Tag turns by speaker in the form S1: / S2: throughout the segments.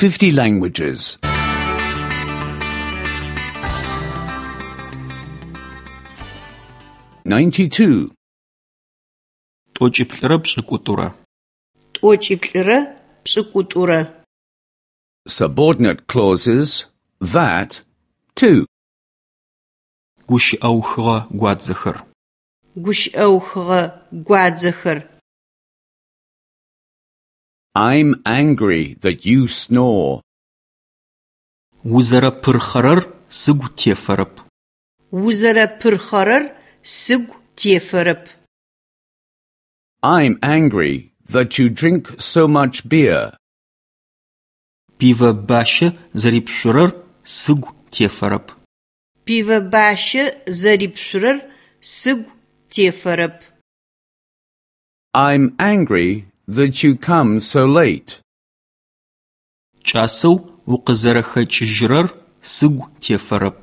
S1: 50 languages. 92.
S2: 92.
S3: 92.
S1: Subordinate clauses that, to.
S2: Гущыӏэухыгъэ гуадзэхэр.
S3: Гущыӏэухыгъэ гуадзэхэр.
S1: I'm angry that you snore.
S2: Узэрэпырхъэрэр сыгу тефэрэп.
S3: Узэрэпырхъэрэр сыгу тефэрэп.
S1: I'm angry that you drink so much beer.
S2: Пивэ бащэ зэрипшъурэр сыгу тефэрэп.
S3: Пивэ бащэ зэрипшъурэр сыгу тефэрэп.
S1: I'm angry that you come so late.
S2: Кӏасэу укъызэрэхэкӏыжьрэр сыгу тефэрэп.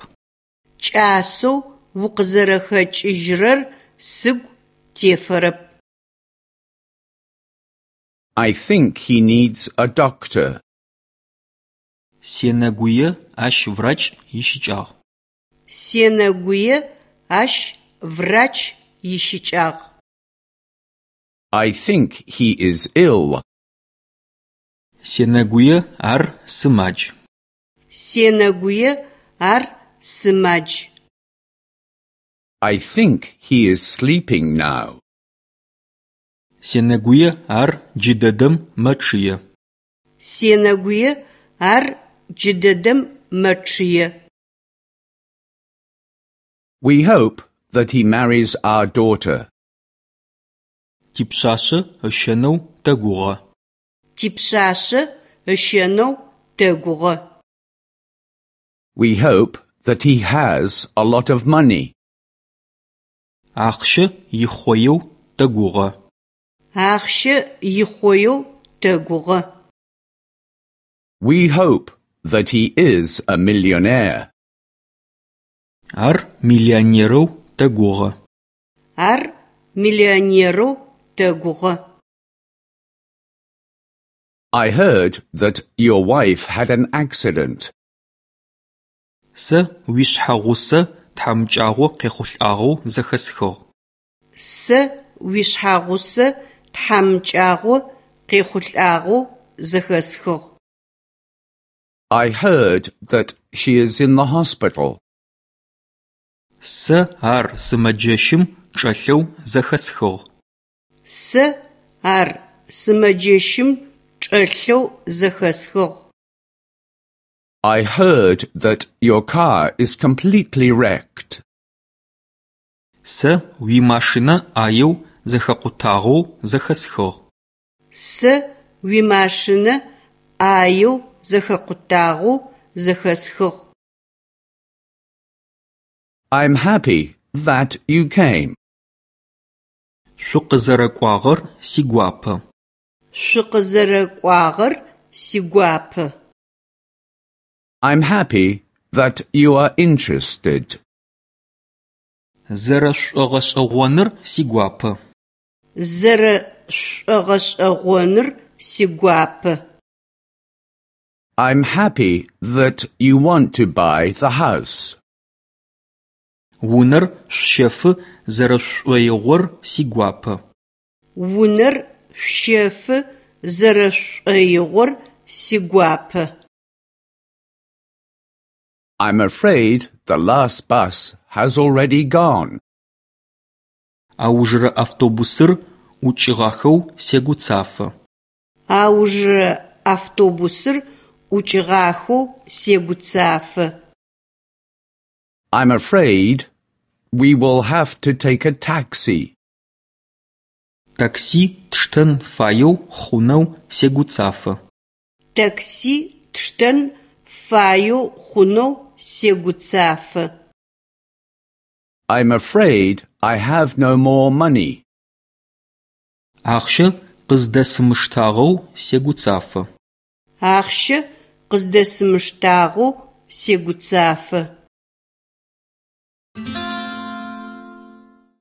S3: Кӏасэу укъызэрэхэкӏыжьрэр сыгу тефэрэп.
S1: I think he needs a doctor.
S2: Сенэгуе ащ врач ищыкӏагъ.
S3: Сенэгуе ащ врач ищыкӏагъ.
S1: I think he is ill.
S2: Сенэгуе ар сымадж.
S3: Сенэгуе ар сымадж.
S1: I think he is sleeping now.
S2: Сенэгуе ар джыдэдэм мэчъые.
S3: Сенэгуе ар джыдэдэм мэчъые.
S1: We hope that he marries our daughter.
S2: Типшъашъэ ыщэнэу тэгугъэ.
S3: Типшъашъэ ыщэнэу тэгугъэ.
S1: We hope that he has a lot of money.
S2: Ахъщэ ихъоеу тэгугъэ.
S3: Ахъщэ ихъоеу тэгугъэ.
S1: We hope that he is a millionaire.
S2: Ар миллионерэу тэгугъэ.
S3: Ар миллионерэу тэгугъэ.
S1: I heard that your wife had an accident.
S2: Сэ уишъхьэгъусэ тхьамыкӏагъо къехъулӏагъэу зэхэсхыгъ.
S3: Сэ уишъхьэгъусэ тхьамыкӏагъо къехъулӏагъэу зэхэсхыгъ.
S1: I heard that she is in the hospital.
S2: Сэ ар сымэджэщым чӏэлъэу зэхэсхыгъ.
S3: Сэ ар сымэджэщым чӏэлъэу зэхэсхыгъ.
S1: I heard that your car is completely wrecked.
S2: Сэ уимашинэ ӏаеу зэхэкъутагъэу зэхэсхыгъ.
S3: Сэ уимашинэ ӏаеу зэхэкъутагъэу зэхэсхыгъ.
S1: I'm happy that you came.
S2: Шъукъызэрэкӏуагъэр сигуапэ.
S3: Шъукъызэрэкӏуагъэр сигуапэ.
S1: I'm happy that you are interested.
S2: Зэрэшъушӏогъэшӏэгъоныр сигуапэ.
S3: Зэрэшъушӏогъэшӏэгъоныр сигуапэ.
S1: I'm happy that you want to buy the house.
S2: Унэр шъущэфы зэрэшъушӏоигъор сигуапэ.
S3: Унэр шъущэфы зэрэшъушӏоигъор сигуапэ.
S1: I'm afraid the last bus has already gone.
S2: Аужырэ автобусыр ӏукӏыгъахэу сегуцафэ.
S3: Аужырэ автобусыр ӏукӏыгъахэу сегуцафэ.
S1: I'm afraid we will have to take a taxi.
S2: Такси тштэн фаеу хъунэу сегуцафэ.
S3: Такси тштэн фаеу хъунэу сегуцафэ.
S1: I'm afraid I have no more money.
S2: Ахъщэ къыздэсымыштагъэу сегуцафэ.
S3: Ахъщэ къыздэсымыштагъэу сегуцафэ.